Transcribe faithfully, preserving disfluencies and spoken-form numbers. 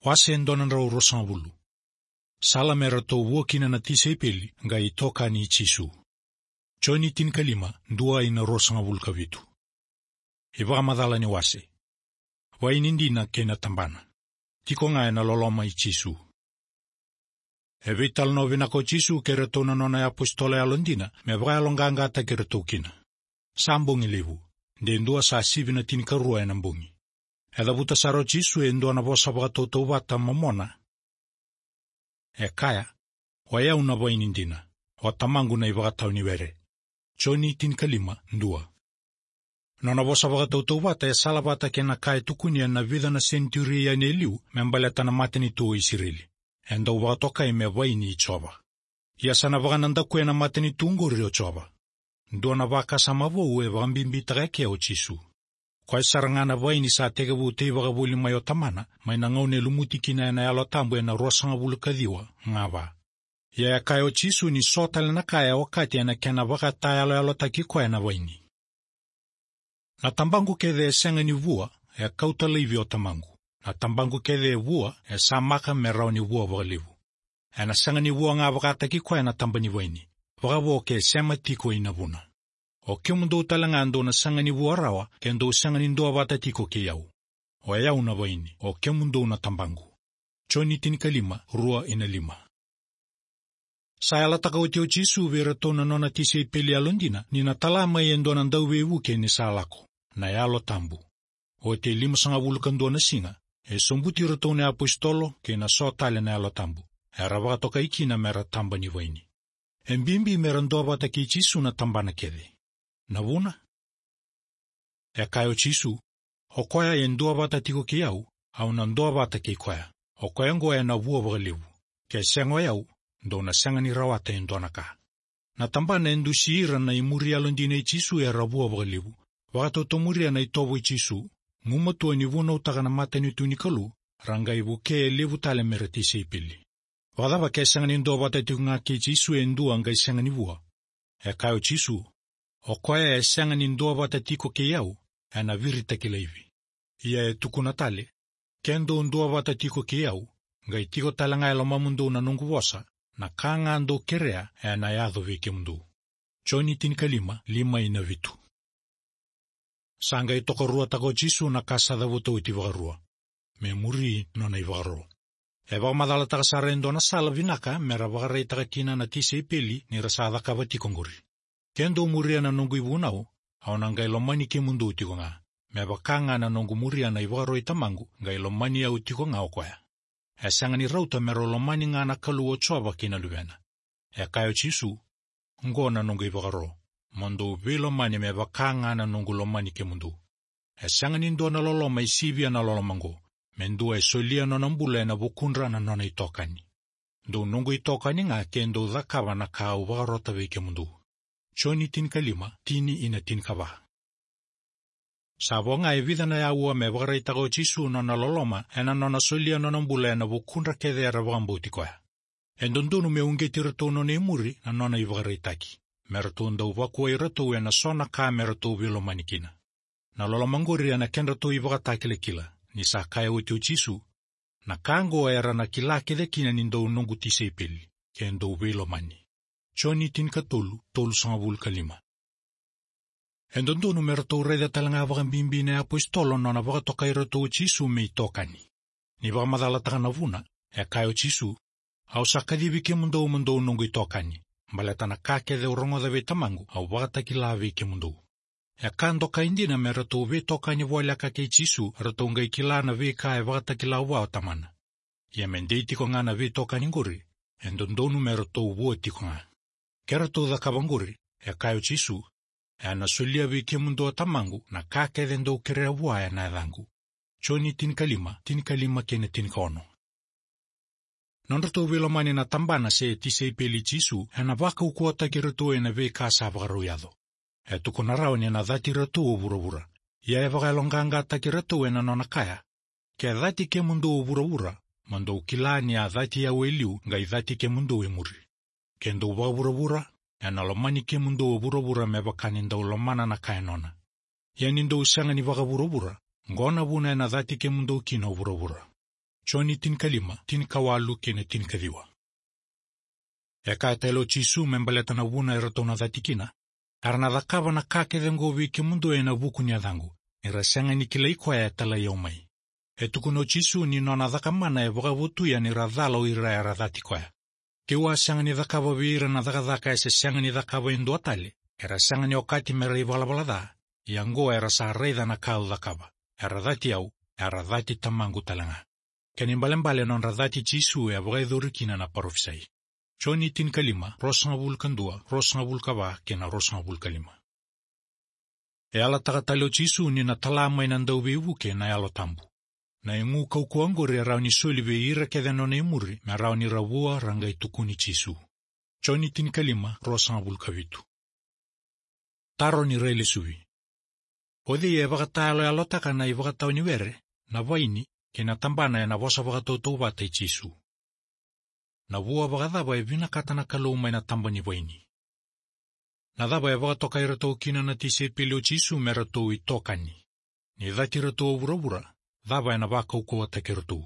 Wase e dua na drau ruasagavulu. Sala me ratou vua kina na tisaipeli qai tokani i Jisu. Joni tinikalima, dua ina ruasagavulu ka vitu. iVakamacala ni wase. Vaini dina kei na tabana. Tiko ga ena loloma i Jisu. E veitalanoa vinaka o Jisu kei ratou na nona iapositolo yalodina me vakayaloqaqataki ratou kina. Sa bogi levu, de dua sa sivi na tinikarua ena bogi. E cavuta sara o Jisu e dua na vosa vakatautauvata momona. E kaya, o yau na vaini dina, o tamaqu na ivakatawa ni were. Joni tinikalima, dua. Nona vosa vakatautauvata e salavata kei na ka e tukunia na vica na senitiuri yani e liu me baleta na matanitu o Isireli. E dau vakatokai me vaini i Jiova. Ia sa na vakanadakuya na matanitu oqori o Jiova. Dua na vakasama vou e vakabibitaka eke o Jisu. Koya sara ga na vaini sa tekivu teivakavoli mai o tamana, mai na gauna e lumuti kina ena Yalo Tabu ena ruasagavulu ka ciwa, ga va. Ia e kaya o Jisu ni so tale na ka e okati ena kena vakatayaloyalotaki koya na vaini. Na tabaqu kece e sega ni vua, e kauta laivi o tamaqu. Na tabaqu kece e vua, e samaka me rawa ni vua vakalevu. Ena sega ni vua ga vakataki koya na taba ni vaini, vakavo ke sema tiko ina vuna. O kemudou tale ga dou na sega ni vua rawa, ke dou sega ni duavata tiko kei au. O yau na vaini, o kemudou na tabaqu. Joni tinikalima, rua ina lima. Sa yalataka oti o Jisu vei iratou na nona tisaipeli yalodina ni na tala mai e dua na dauveivuke ni sa lako, na Yalo Tabu. Oti e limasagavulu ka dua na siga, e sobuti iratou na iapositolo kei na so tale na Yalo Tabu, era vakatokai kina mera taba ni vaini. E bibi mera duavata kei Jisu na tabana kece. Na vuna? E kaya o Jisu, o koya e duavata tiko kei au, au na duavata kei koya. O koya oqo ena vua vakalevu. Ke sega o yau, dou na sega ni rawata e dua na ka. Na tabana e dusi ira na imuri yalodina i Jisu era vua vakalevu. Vakatotomuria na itovo i Jisu, gumatua ni vunautaka na matanitu ni Kalou, ra qai vukea e levu tale mera tisaipeli. Vakacava ke sega ni duavata tiko ga kei Jisu e dua qai sega ni vua? E kaya o Jisu, o koya e sega ni duavata tiko kei au, ena viritaki laivi. Ia e tukuna tale, ke dou duavata tiko kei au, qai tiko tale ga e lomamudou na noqu vosa, na ka ga dou kerea ena yaco vei kemudou. Joni tinikalima, lima ina vitu. Sa qai tokaruataka o Jisu na ka sa cavuta oti vakarua. Me muri nona ivakaro. E vakamacalataka sara e dua na sala vinaka mera vakaraitaka kina na tisaipeli ni ra sa cakava tiko oqori. Ke dou muria na noqu ivunau, au na qai lomani kemudou tiko ga. Me vaka ga na noqu muria na ivakaro i tamaqu, qai lomani au tiko ga o koya. E sega ni rauta me rau lomani ga na Kalou o Jiova kei na Luvena. E kaya o Jisu, oqo na noqu ivakaro, mo dou veilomani me vaka ga na noqu lomani kemudou. E sega ni dua na loloma e sivia na loloma oqo, me dua e solia nona bula ena vukudra na nona itokani. Dou noqu itokani ga ke dou cakava na ka au vakarota vei kemudou. Joni tinikalima, tini ina tinikava. Sa vo ga e vica na aua me vakaraitaka o Jisu nona loloma ena nona solia nona bula ena vukudra kece era vakabauti koya. E dodonu me uqeti iratou nona imuri na nona ivakaraitaki, me ratou dau vakuai iratou ena so na ka me ratou veilomani kina. Na loloma oqori ena kedratou ivakatakilakila, ni sa kaya oti o Jisu, na ka oqo era na kila kece kina ni dou noqu tisaipeli, ke dou veilomani. Joni tinikatolu, tolusagavulu ka lima. E dodonu me ratou raica tale ga vakabibi na iapositolo nona vakatokai iratou o Jisu me itokani. Ni vakamacalataka na vuna, e kaya o Jisu, au sa kacivi kemudou mo dou noqu itokani, baleta na ka kece au rogoca vei tamaqu, au vakatakila vei kemudou. E ka dokai dina me ratou veitokani voleka kei Jisu, ratou qai kila na veika e vakatakila vua o tamana. Ia me dei tiko ga na veitokani qori, e dodonu me ratou vua tiko ga. Ke ratou cakava qori, e kaya o Jisu, ena solia vei kemudou o tamaqu na ka kece dou kerea vua ena yacaqu. Joni tinikalima, tinikalima kei na tinikaono. Nodratou veilomani na tabana se tisaipeli i Jisu, ena vakaukauwataki iratou ena veika sa vakarau yaco. E tukuna rawa ni na cati iratou o vuravura. Ia e vakayaloqaqataki iratou ena nona kaya, ke cati kemudou o vuravura, mo dou kila ni a cati au e liu, qai cati kemudou e muri. Ke dou vakavuravura, ena lomani kemudou o vuravura me vaka ni dau lomana na ka e nona. Ia ni dou sega ni vakavuravura, qo na vuna ena cati kemudou kina o vuravura. Joni tinikalima, tinikawalu kei na tinikaciwa. E kaya tale o Jisu me baleta na vuna eratou na cati kina: Era na cakava na ka kece oqo vei kemudou ena vuku ni yacaqu, ni ra sega ni kilai koya e talai au mai. E tukuna o Jisu ni nona cakamana e vakavotuya ni ra cala o ira era cati koya. Ke'u a sega ni cakava vei ira na cakacaka e se sega ni cakava e dua tale, era sega ni okati me ra ivalavala ca, ia oqo era sa raica na ka au cakava, era cati au, era cati Tamaqu tale ga. Kena ibalebale, nodra cati Jisu e vakayacori kina na parofisai. Joni tinikalima, ruasagavulu ka dua, ruasagavulu ka va kei na ruasagavulu ka lima. E yalataka tale o Jisu ni na tala mai na Dauveivuke na Yalo Tabu. Na igu kaukauwa oqori e rawa ni soli vei ira kece na nona imuri me rawa ni ra vua ra qai tukuni Jisu. Joni tinikalima, ruasagavulu ka vitu. Taro ni railesuvi. O cei e vakatayaloyalotaka na ivakatawa ni were, na vaini kei na tabana ena vosa vakatautauvata i Jisu? Na vua vakacava e vinakata na Kalou mai na taba ni vaini? Na cava e vakatokai iratou kina na tisaipeli o Jisu me ratou itokani? Ni cati iratou o vuravura, cava ena vakaukauwataki iratou?